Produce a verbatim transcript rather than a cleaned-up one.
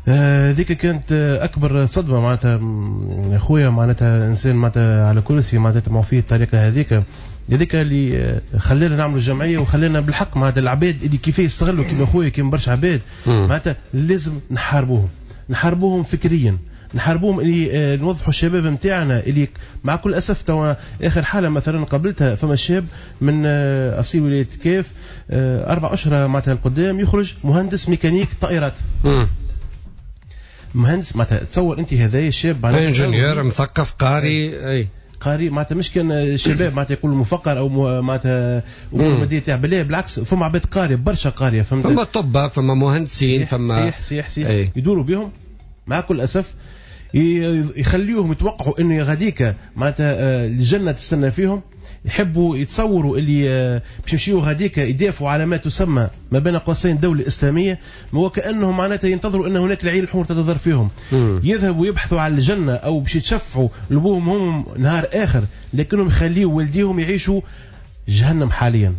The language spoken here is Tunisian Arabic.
هذيك كانت اكبر صدمة معناتها. خويا معناتها انسان معناتها على كرسي معناتها تمعوا فيه الطريقة هذيك، هذيك اللي خلانا نعملوا جمعية وخلانا بالحق معناتها العباد اللي كيف يستغلوا كيما خويا كيما برشا عباد معناتها لازم نحاربوهم، نحاربوهم فكريا، نحاربوهم اللي نوضحوا الشباب نتاعنا اللي مع كل اسف توا اخر حاله مثلا قابلتها فما شاب من اصيل ولاية كاف اربع اشهر معناتها القدام يخرج مهندس ميكانيك طائرات. مم. مهندس معناتها تصور انت هذايا الشاب معناتها ingénieur مثقف قاري اي قاري معناتها مش كان الشباب معناتها يقولوا مفقر او معناتها امور مادية تاع بالله، بالعكس فما عباد قارية برشا قارية، فهمت؟ فما طبة، فما مهندسين، فما صحيح صحيح صحيح يدوروا بهم مع كل اسف، يخليوهم يتوقعوا انه غاديك معناتها الجنة تستنى فيهم، يحبوا يتصوروا اللي باش يمشيو غاديك يدافعوا على ما تسمى ما بين قوسين دولة إسلامية، وكأنهم معناتها ينتظروا أن هناك العين الحمر تتضر فيهم. مم. يذهبوا يبحثوا على الجنة أو باش يتشفعوا لبوهم هم نهار آخر، لكنهم يخليوا والديهم يعيشوا جهنم حاليا.